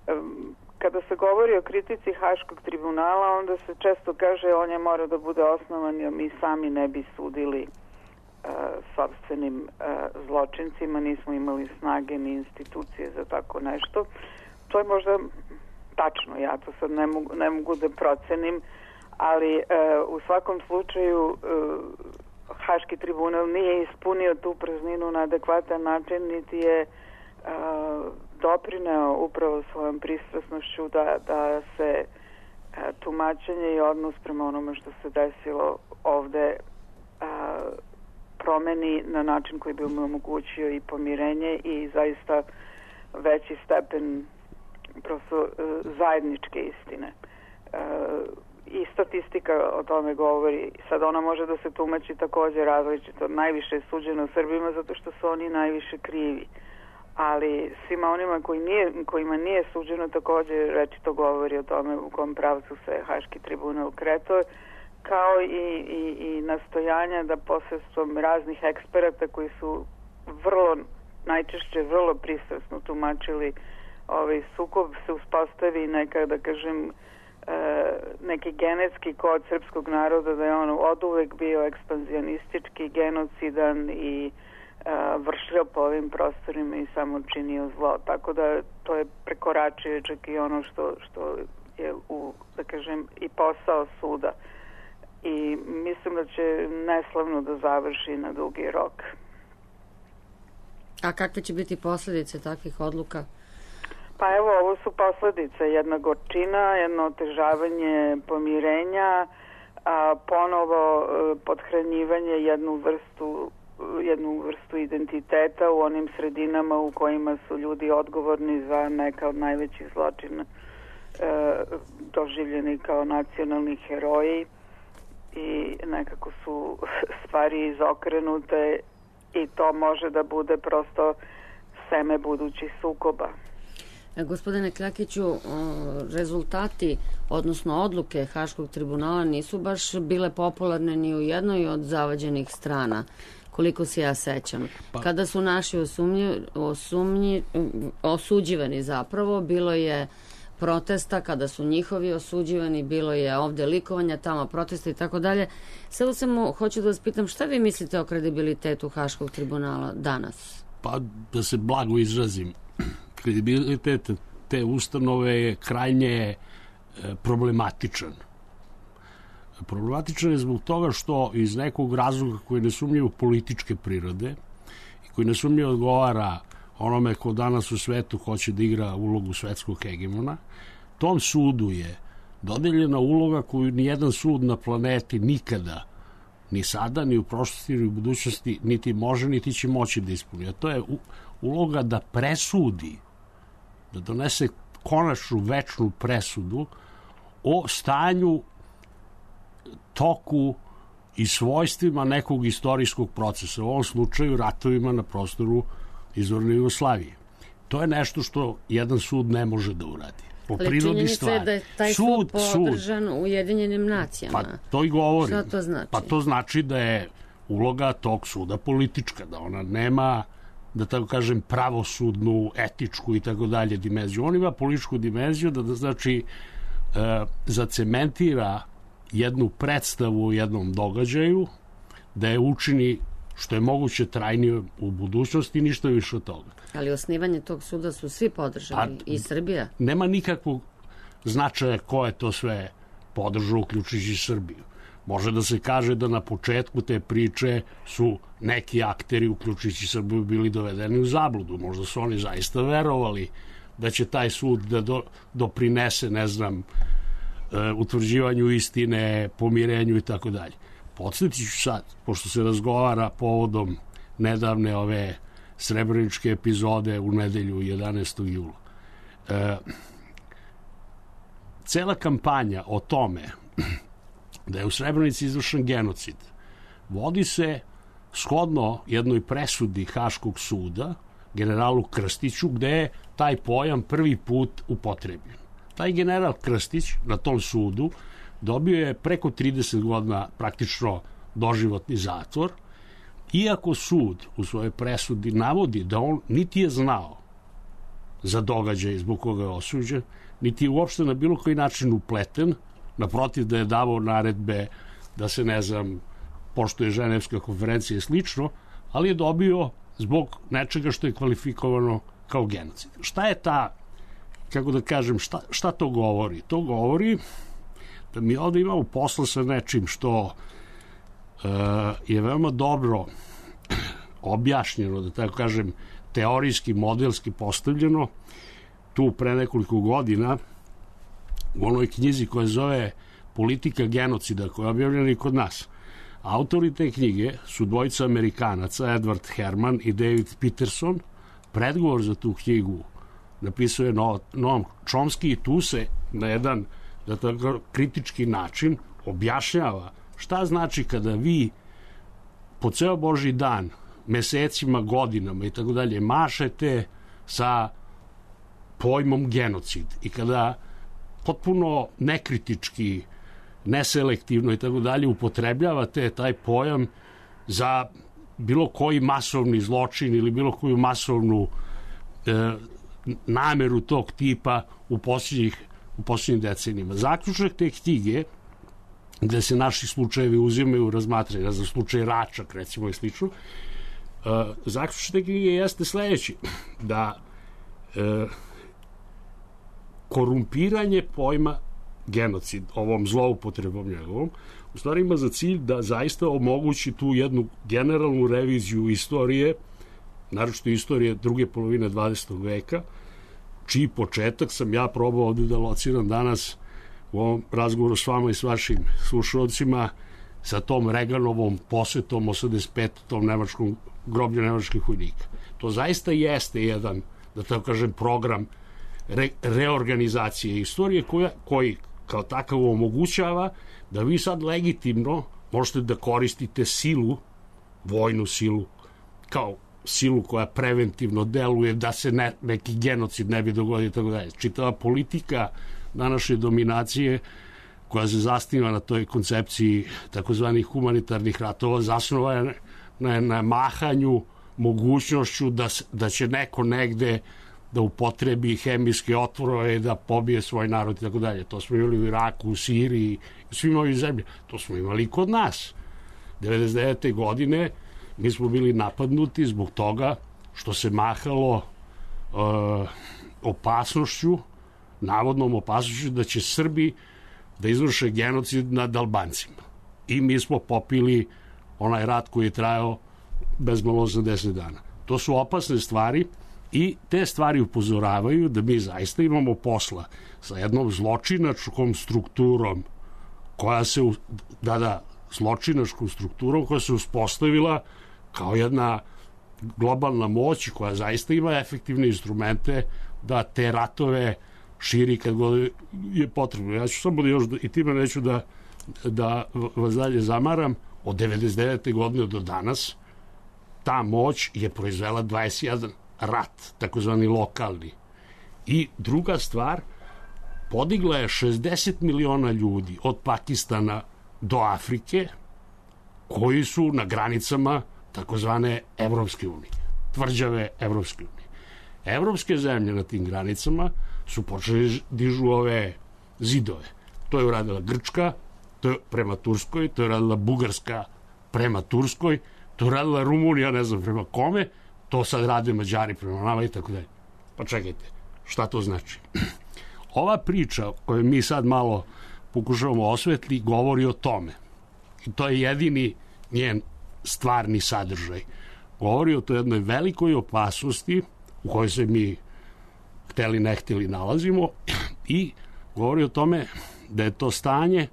E, kada se govori o kritici Haškog tribunala, onda se često kaže on je mora da bude osnovan jer mi sami ne bi sudili e, sopstvenim e, zločincima, nismo imali snage ni institucije za tako nešto. To je možda tačno, ja to sad ne mogu, ne mogu da procenim, ali e, u svakom slučaju e, Haški tribunal nije ispunio tu prazninu na adekvatan način, niti je e, doprineo upravo svojom pristrasnošću da, da se e, tumačenje i odnos prema onome što se desilo ovde e, promeni na način koji bi mu omogućio i pomirenje i zaista veći stepen prosto e, zajedničke istine. E, I statistika o tome govori. Sad ona može da se tumači također različito. Najviše je suđeno Srbima zato što su oni najviše krivi. Ali svima onima koji nije, kojima nije suđeno također rečito govori o tome u kom pravcu se Haški tribunal kretao, kao i, i, i nastojanja da posredstvom raznih eksperata koji su vrlo, najčešće vrlo pristrasno tumačili ovaj sukob se uspostavi neka, da kažem, neki genetski kod srpskog naroda da je on oduvek bio ekspanzionistički, genocidan i uh, vršio po ovim prostorima i samo činio zlo. Tako da to je prekoračio čak i ono što, što je u, da kažem, i posao suda. I mislim da će neslavno da završi na dugi rok. A kakve će biti posljedice takvih odluka? Pa evo, ovo su posljedice, jedna gorčina, jedno otežavanje pomirenja, a ponovo podhranjivanje jednu vrstu, jednu vrstu identiteta u onim sredinama u kojima su ljudi odgovorni za neka od najvećih zločina, e, doživljeni kao nacionalni heroji i nekako su stvari izokrenute i to može da bude prosto seme budućih sukoba. Gospodine Kljakiću, rezultati, odnosno odluke Haškog tribunala nisu baš bile popularne ni u jednoj od zavađenih strana, koliko se ja sećam. Pa. Kada su naši osumnji, osumnji, osuđivani zapravo, bilo je protesta, kada su njihovi osuđivani, bilo je ovde likovanja, tamo protesta i tako dalje. Sada samo hoću da vas pitam, šta vi mislite o kredibilitetu Haškog tribunala danas? Pa da se blago izrazim, kredibilitet te ustanove je krajnje problematičan. Problematičan je zbog toga što iz nekog razloga koji je nesumnjivo političke prirode i koji nesumnjivo odgovara onome ko danas u svetu hoće da igra ulogu svetskog hegemona, tom sudu je dodeljena uloga koju nijedan sud na planeti nikada, ni sada, ni u prošlosti, ni u budućnosti, niti može, niti će moći da ispuni. A to je uloga da presudi, da donese konačnu večnu presudu o stanju, toku i svojstvima nekog istorijskog procesa, u ovom slučaju ratovima na prostoru izvorne Jugoslavije. To je nešto što jedan sud ne može da uradi. Po ali prirodi stvari. Ali da je taj sud, sud podržan u Ujedinjenim nacijama. Pa to i govorim. Šta to znači? Pa to znači da je uloga tog suda politička, da ona nema, da tako kažem, pravosudnu, etičku i tako dalje dimenziju. On ima političku dimenziju da, da znači e, zacementira jednu predstavu u jednom događaju, da je učini što je moguće trajnije u budućnosti i ništa više od toga. Ali osnivanje tog suda su svi podržali, pa, i Srbija? Nema nikakvog značaja ko je to sve podržao, uključujući Srbiju. Može da se kaže da na početku te priče su neki akteri, uključujući Srbiju, bili dovedeni u zabludu. Možda su oni zaista verovali da će taj sud da do, doprinese, ne znam, utvrđivanju istine, pomirenju i tako dalje. Podsjetit ću sad, pošto se razgovara povodom nedavne ove srebreničke epizode u nedelju jedanaestog jula. E, cela kampanja o tome da je u Srebrenici izvršen genocid vodi se shodno jednoj presudi Haškog suda, generalu Krstiću, gde je taj pojam prvi put upotrebljen. Taj general Krstić na tom sudu dobio je preko trideset godina praktično doživotni zatvor, iako sud u svojoj presudi navodi da on niti je znao za događaj zbog koga je osuđen, niti je uopšte na bilo koji način upleten, naprotiv da je davao naredbe da se, ne znam, poštuje Ženevska konferencija i slično, ali je dobio zbog nečega što je kvalifikovano kao genocid. Šta je ta, kako da kažem, šta, šta to govori? To govori da mi ovde imamo posla sa nečim što uh, je veoma dobro objašnjeno, da tako kažem, teorijski, modelski postavljeno tu pre nekoliko godina u onoj knjizi koja zove Politika genocida, koja je objavljena i kod nas. Autori te knjige su dvojica Amerikanaca, Edward Herman i David Peterson. Predgovor za tu knjigu napisao je Noam Chomsky i tu se na jedan, da tako kritički način objašnjava šta znači kada vi po ceo Božji dan, mesecima, godinama i tako dalje mašete sa pojmom genocid i kada potpuno nekritički, neselektivno i tako dalje upotrebljavate taj pojam za bilo koji masovni zločin ili bilo koju masovnu e, nameru tog tipa u posljednjih u posljednjim decenijima. Zaključak te knjige, gde se naši slučajevi uzimaju u razmatranje, za slučaj Račak recimo i slično, e, zaključak te knjige jeste sledeći, da e, korumpiranje pojma genocid, ovom zloupotrebom njegovom, u stvari ima za cilj da zaista omogući tu jednu generalnu reviziju istorije, naročito istorije druge polovine dvadesetog veka, čiji početak sam ja probao ovde da lociram danas u ovom razgovoru s vama i s vašim slušalcima sa tom Reganovom posetom osamdeset pete tom nemačkom groblju nemačkih vojnika. To zaista jeste jedan, da tako kažem, program re, reorganizacije istorije koja, koji kao takav omogućava da vi sad legitimno možete da koristite silu, vojnu silu, kao silu koja preventivno deluje da se ne, neki genocid ne bi dogodio i tako dalje. Čitava politika današnje dominacije koja se zasniva na toj koncepciji takozvanih humanitarnih ratova zasnova je na, na mahanju mogućnošću da, da će neko negde da upotrebi hemijske otvorove, da pobije svoj narod i tako dalje. To smo imali u Iraku, u Siriji, u svim ovim zemljama. To smo imali i kod nas. devedeset devete godine mi smo bili napadnuti zbog toga što se mahalo uh, opasnošću, navodnom opasnošću da će Srbi da izvrše genocid nad Albancima. I mi smo popili onaj rat koji je trajao bezmalo osamdeset dana. To su opasne stvari i te stvari upozoravaju da mi zaista imamo posla sa jednom zločinačkom strukturom koja se, da da, zločinačkom strukturom koja se uspostavila kao jedna globalna moć koja zaista ima efektivne instrumente da te ratove širi kad god je potrebno. Ja ću samo da još, i time neću da, da vas dalje zamaram, od devedeset devete godine do danas ta moć je proizvela dvadeset jedan rat, takozvani lokalni. I druga stvar, podigla je šezdeset miliona ljudi od Pakistana do Afrike koji su na granicama takozvane Evropske unije, tvrđave Evropske unije. Evropske zemlje na tim granicama su počeli dižu ove zidove. To je uradila Grčka, to je prema Turskoj, to je uradila Bugarska prema Turskoj, to je uradila Rumunija, ne znam prema kome, to sad rade Mađari prema nama i tako dalje. Pa čekajte, šta to znači? Ova priča koju mi sad malo pokušavamo osvetli govori o tome. I to je jedini njen stvarni sadržaj. Govori o toj jednoj velikoj opasnosti u kojoj se mi hteli ne hteli nalazimo i govori o tome da je to stanje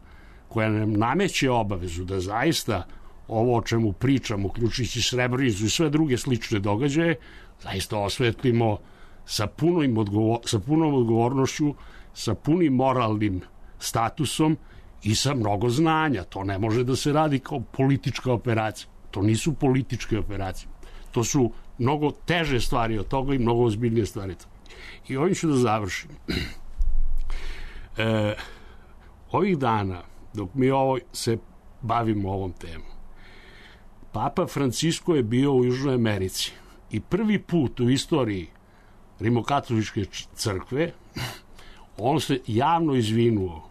koje nam nameće obavezu da zaista ovo o čemu pričamo, uključujući Srebrenicu i sve druge slične događaje, zaista osvetlimo sa, punom odgovor, sa punom odgovornošću, sa punim moralnim statusom i sa mnogo znanja. To ne može da se radi kao politička operacija. To nisu političke operacije. To su mnogo teže stvari od toga i mnogo ozbiljnije stvari. I ovim ću da završim. E, ovih dana, dok mi ovo se bavimo ovom temom, Papa Francisko je bio u Južnoj Americi i prvi put u istoriji Rimokatoličke crkve on se javno izvinuo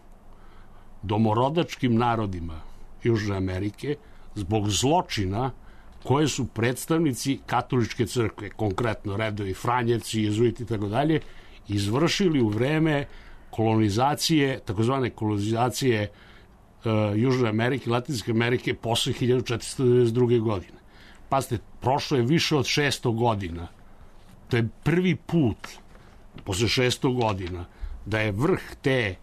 domorodačkim narodima Južne Amerike zbog zločina koje su predstavnici katoličke crkve, konkretno redovi Franjevci, jezuiti i tako dalje, izvršili u vreme kolonizacije, takozvane kolonizacije uh, Južne Amerike, Latinske Amerike posle hiljadu četiristo devedeset druge. godine. Pazite, prošlo je više od šesto godina. To je prvi put posle šesto godina da je vrh te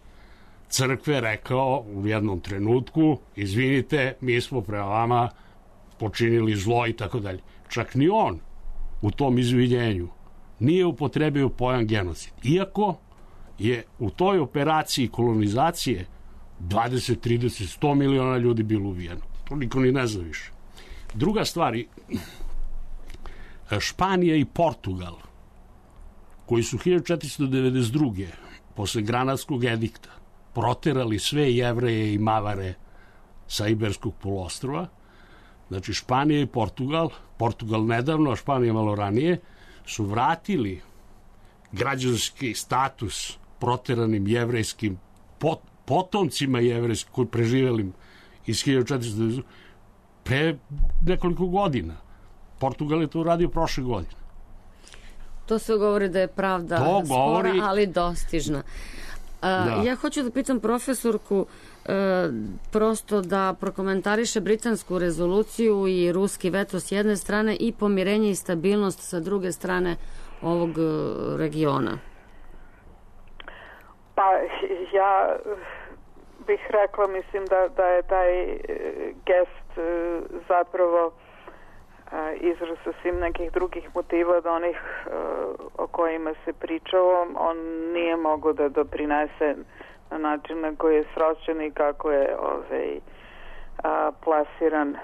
crkve rekao u jednom trenutku, izvinite, mi smo prema vama počinili zlo i tako dalje. Čak ni on u tom izvinjenju nije upotrebio pojam genocid. Iako je u toj operaciji kolonizacije dvadeset, trideset, sto miliona ljudi bilo ubijeno. To niko ni ne zna više. Druga stvar, Španija i Portugal, koji su hiljadu četiristo devedeset druge. posle Granadskog edikta proterali sve Jevreje i Mavare sa Iberskog poluostrva, znači Španija i Portugal, Portugal nedavno, a Španija malo ranije, su vratili građanski status proteranim jevrejskim pot, potomcima jevrejskim koji preživelim iz hiljadu četiristo devedeset pre nekoliko godina. Portugal je to uradio prošle godine. To se govori da je pravda to spora, govori... ali dostižna. A, da. Ja hoću da pitam profesorku e, prosto da prokomentariše britansku rezoluciju i ruski veto s jedne strane i pomirenje i stabilnost sa druge strane ovog regiona. Pa ja bih rekla, mislim da, da je taj gest zapravo izraz sasvim nekih drugih motiva od onih o kojima se pričalo. On nije mogao da doprinese na način na koji je sročen i kako je ovaj, a, plasiran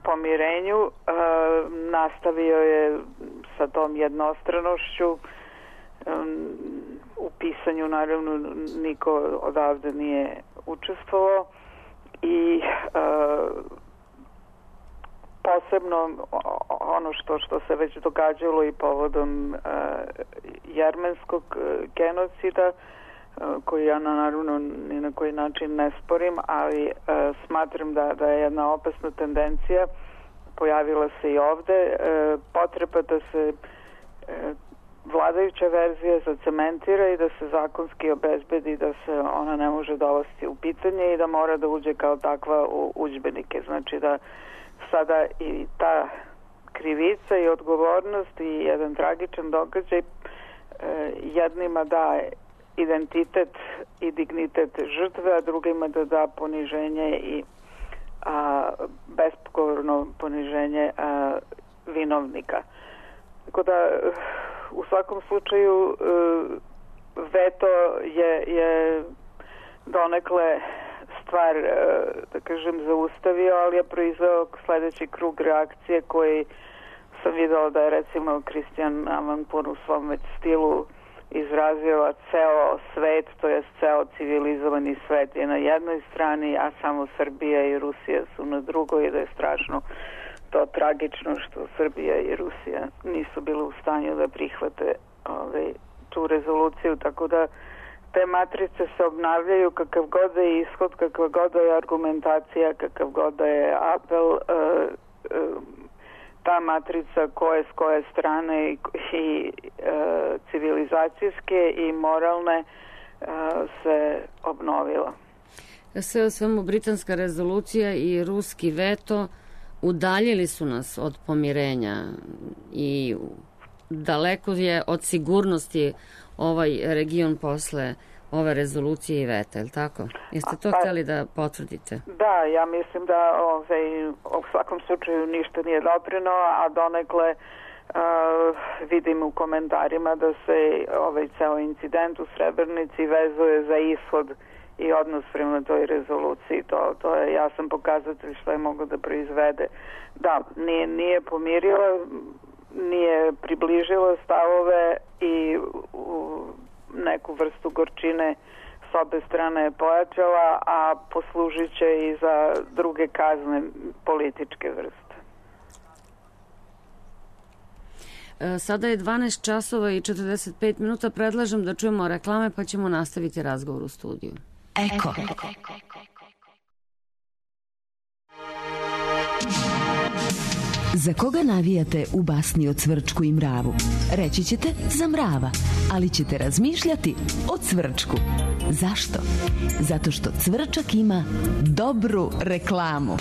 pomirenju. A, nastavio je sa tom jednostranošću. Um, u pisanju naravno niko odavde nije učestvovao i uh, posebno ono što, što se već događalo i povodom uh, jermenskog uh, genocida uh, koji ja naravno ni na koji način ne sporim, ali uh, smatram da, da je jedna opasna tendencija pojavila se i ovde, uh, potreba da se uh, vladajuća verzija zacementira i da se zakonski obezbedi da se ona ne može dovesti u pitanje i da mora da uđe kao takva u udžbenike. Znači da sada i ta krivica i odgovornost i jedan tragičan događaj e, jednima da identitet i dignitet žrtve, a drugima da da poniženje i a, bespokorno poniženje a, vinovnika. Tako da u svakom slučaju veto je, je donekle stvar, da kažem, zaustavio, ali je proizveo sledeći krug reakcije koji sam videla da je recimo Kristijan Amanpour u svom već stilu izrazio, ceo svet, to je ceo civilizovani svet je na jednoj strani, a samo Srbija i Rusija su na drugoj i da je strašno to tragično što Srbija i Rusija nisu bile u stanju da prihvate ovaj, tu rezoluciju, tako da te matrice se obnavljaju kakav god da je ishod, kakav god da je argumentacija, kakav god da je apel, uh, uh, ta matrica koje s koje strane i, i uh, civilizacijske i moralne uh, se obnovila. Sve o svemu britanska rezolucija i ruski veto udaljili su nas od pomirenja i daleko je od sigurnosti ovaj region posle ove rezolucije i veta, je li tako? Jeste to pa, htjeli da potvrdite? Da, ja mislim da ovaj, u svakom slučaju ništa nije doprino, a donekle uh, vidim u komentarima da se ovaj ceo incident u Srebrenici vezuje za ishod i odnos prema toj rezoluciji, to, to je jasan pokazatelj što je moglo da proizvede. Da, nije, nije pomirila, nije približila stavove i u neku vrstu gorčine s obe strane je pojačala, a poslužit će i za druge kazne političke vrste. Sada je dvanaest časova i četrdeset pet minuta. Predlažem da čujemo reklame pa ćemo nastaviti razgovor u studiju. Eko. Za koga navijate u basni o Cvrčku i mravu? Reći ćete za mrava, ali ćete razmišljati o Cvrčku. Zašto? Zato što Cvrčak ima dobru reklamu.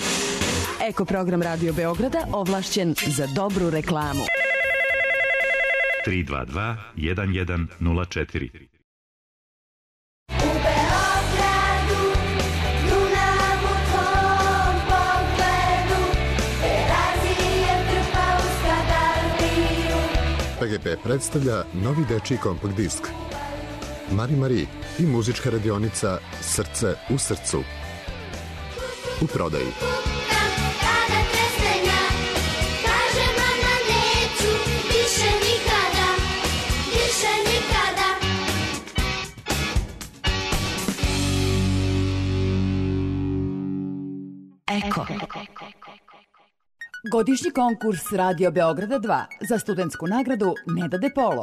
Eko program Radio Beograda ovlašćen za dobru reklamu. tri dva dva jedan jedan nula četiri. P G P predstavlja novi dečiji kompakt disk Mari Mari i muzička radionica Srce u srcu. U prodaji. Eko. Godišnji konkurs Radio Beograda dva za studentsku nagradu Neda De Polo.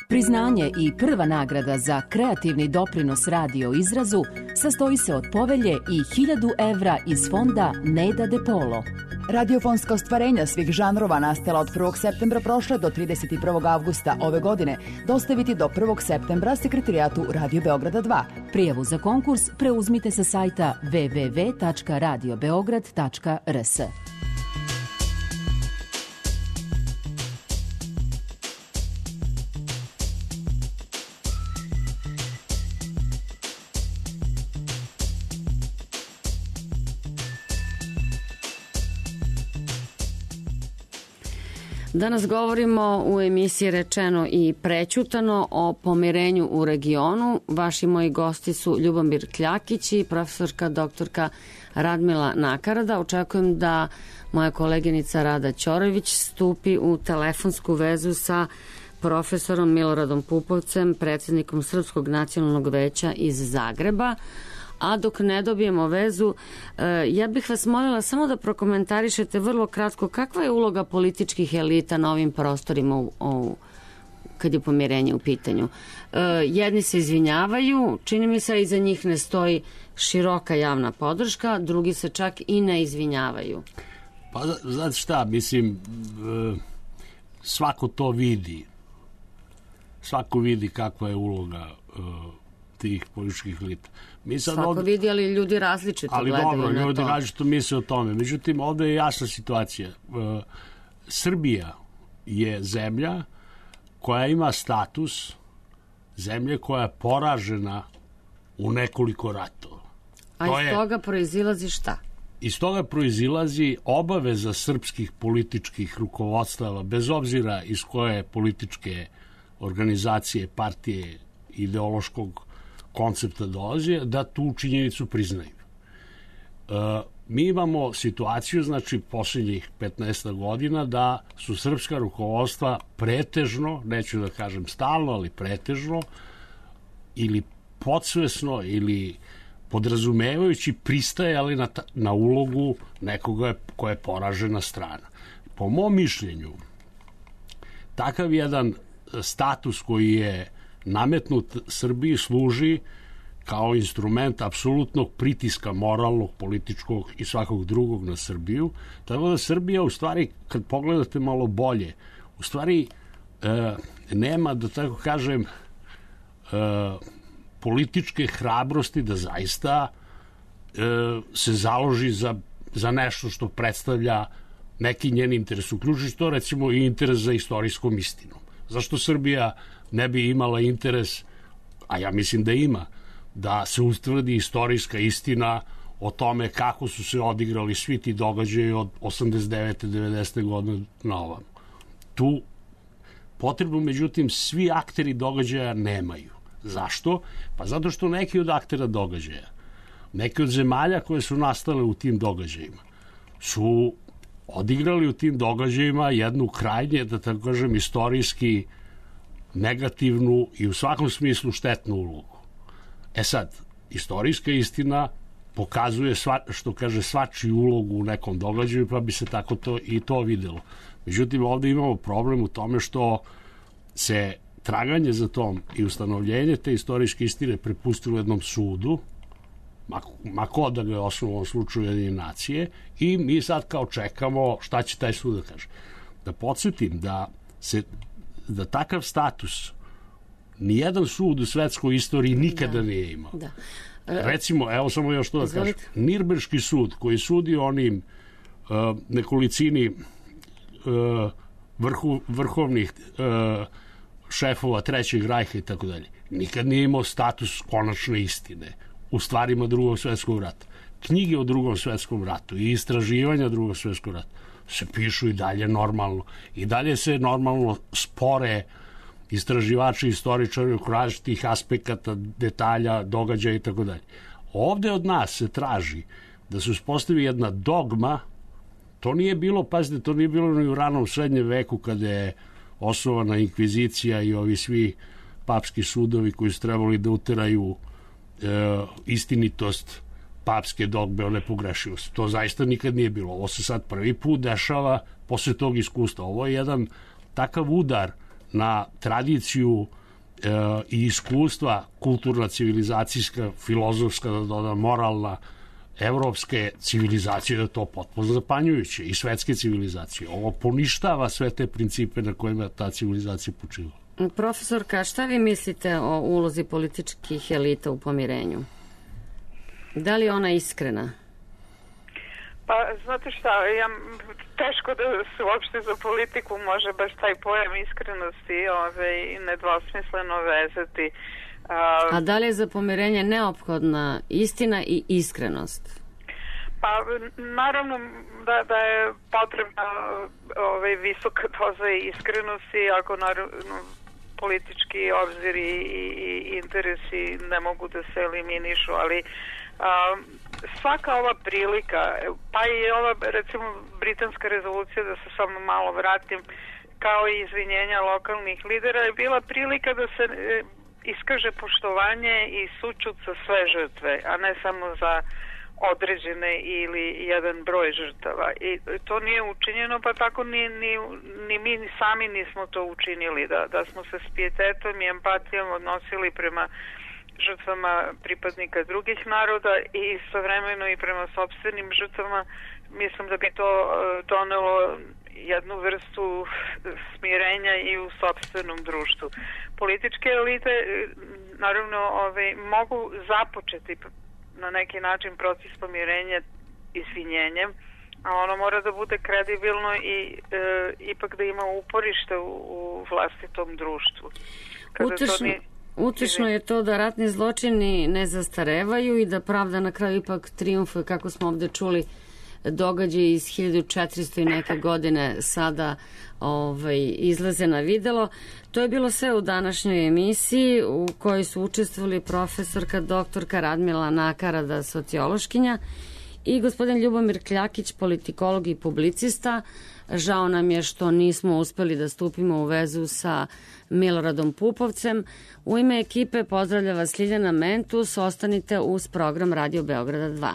Priznanje i prva nagrada za kreativni doprinos radio izrazu sastoji se od povelje i hiljadu evra iz fonda Neda De Polo. Radiofonska ostvarenja svih žanrova nastala od prvog septembra prošle do trideset prvog avgusta ove godine dostaviti do prvog septembra sekretarijatu Radio Beograda dva. Prijavu za konkurs preuzmite sa sajta w w w tačka radio beograd tačka r s. Danas govorimo u emisiji Rečeno i prećutano o pomirenju u regionu. Vaši moji gosti su Ljubomir Kljakić i profesorka doktorka Radmila Nakarada. Očekujem da moja koleginica Rada Ćorović stupi u telefonsku vezu sa profesorom Miloradom Pupovcem, predsjednikom Srpskog nacionalnog veća iz Zagreba. A dok ne dobijemo vezu, ja bih vas molila samo da prokomentarišete vrlo kratko kakva je uloga političkih elita na ovim prostorima u, u, kad je pomirenje u pitanju. Jedni se izvinjavaju, čini mi se iza njih ne stoji široka javna podrška, drugi se čak i ne izvinjavaju. Pa znate šta, mislim, svako to vidi. Svako vidi kakva je uloga tih političkih elita. Mi sad Svako ovdje, vidi, ali ljudi različito ali gledaju dobro, na ljudi to. različito misle o tome. Međutim, ovdje je jasna situacija. E, Srbija je zemlja koja ima status zemlje koja je poražena u nekoliko ratova. A to iz je, toga proizilazi šta? Iz toga proizilazi obaveza srpskih političkih rukovodstava, bez obzira iz koje političke organizacije, partije, ideološkog koncepta dolazi, da tu činjenicu priznaju. E, mi imamo situaciju, znači, posljednjih petnaest godina da su srpska rukovodstva pretežno, neću da kažem stalno, ali pretežno, ili podsvesno, ili podrazumevajući pristajali na, ta, na ulogu nekoga koja je poražena strana. Po mom mišljenju, takav jedan status koji je nametnut Srbiji služi kao instrument apsolutnog pritiska moralnog, političkog i svakog drugog na Srbiju. Tako da Srbija, u stvari, kad pogledate malo bolje, u stvari e, nema, da tako kažem, e, političke hrabrosti da zaista e, se založi za, za nešto što predstavlja neki njen interes. Uključujući to, recimo, i interes za istorijskom istinom. Zašto Srbija ne bi imala interes, a ja mislim da ima, da se utvrdi istorijska istina o tome kako su se odigrali svi ti događaji od osamdeset devete devedesete godine na ovamo. Tu potrebu, međutim, svi akteri događaja nemaju. Zašto? Pa zato što neki od aktera događaja, neki od zemalja koje su nastale u tim događajima, su odigrali u tim događajima jednu krajnje, da tako kažem, istorijski negativnu i u svakom smislu štetnu ulogu. E sad, istorijska istina pokazuje, sva, što kaže, svačiju ulogu u nekom događaju, pa bi se tako to i to videlo. Međutim, ovde imamo problem u tome što se traganje za tom i ustanovljenje te istorijske istine prepustilo jednom sudu, ma ko da ga je osnovno u ovom slučaju Ujedinjene nacije, i mi sad kao čekamo šta će taj sud da kaže. Da podsjetim da se da takav status nijedan sud u svetskoj istoriji nikada da. nije imao. Da. E, Recimo, evo samo još to da kažem, Nirnberški sud koji sudi onim uh, nekolicini uh, vrhu, vrhovnih uh, šefova Trećeg rajha i tako dalje, nikad nije imao status konačne istine u stvarima Drugog svetskog rata. Knjige o Drugom svetskom ratu i istraživanja Drugog svetskog rata se pišu i dalje normalno. I dalje se normalno spore istraživači, istoričari oko različitih aspekata, detalja, događaja i tako dalje. Ovde od nas se traži da se uspostavi jedna dogma. To nije bilo, pazite, to nije bilo ni u ranom srednjem veku kada je osnovana inkvizicija i ovi svi papski sudovi koji su trebali da uteraju e, istinitost papske dogme o nepogrešivosti. To zaista nikad nije bilo. Ovo se sad prvi put dešava posle tog iskustva. Ovo je jedan takav udar na tradiciju e, i iskustva kulturna, civilizacijska, filozofska, da dodam, moralna, evropske civilizacije, da je to potpuno zapanjujuće, i svetske civilizacije. Ovo poništava sve te principe na kojima ta civilizacija počiva. Profesorka, šta vi mislite o ulozi političkih elita u pomirenju? Da li je ona iskrena? Pa, znate šta, ja, teško da se uopšte za politiku može baš taj pojam iskrenosti ove, nedvosmisleno vezati. A, A da li je za pomirenje neophodna istina i iskrenost? Pa, naravno da, da je potrebna ove, visoka doza iskrenosti, ako naravno politički obziri i, i interesi ne mogu da se eliminišu, ali a, svaka ova prilika, pa i ova recimo britanska rezolucija, da se samo malo vratim, kao i izvinjenja lokalnih lidera, je bila prilika da se e, iskaže poštovanje i sućut za sve žrtve, a ne samo za određene ili jedan broj žrtava. I to nije učinjeno, pa tako ni, ni, ni mi ni sami nismo to učinili, da, da smo se s pijetetom i empatijom odnosili prema žrtvama pripadnika drugih naroda i istovremeno i prema sopstvenim žrtvama. Mislim da bi to donelo jednu vrstu smirenja i u sopstvenom društvu. Političke elite naravno ove, mogu započeti na neki način proces pomirenja izvinjenjem, a ono mora da bude kredibilno i e, ipak da ima uporište u, u vlastitom društvu. Kada Utešno, to ni... utešno je to da ratni zločini ne zastarevaju i da pravda na kraju ipak triumfuje, kako smo ovde čuli, događaj iz hiljadu četiristo i neke godine sada ovaj, izlaze na videlo. To je bilo sve u današnjoj emisiji u kojoj su učestvovali profesorka doktorka Radmila Nakarada, sociološkinja, i gospodin Ljubomir Kljakić, politikolog i publicista. Žao nam je što nismo uspeli da stupimo u vezu sa Miloradom Pupovcem. U ime ekipe pozdravlja vas Ljiljana Mentus. Ostanite uz program Radio Beograda dva.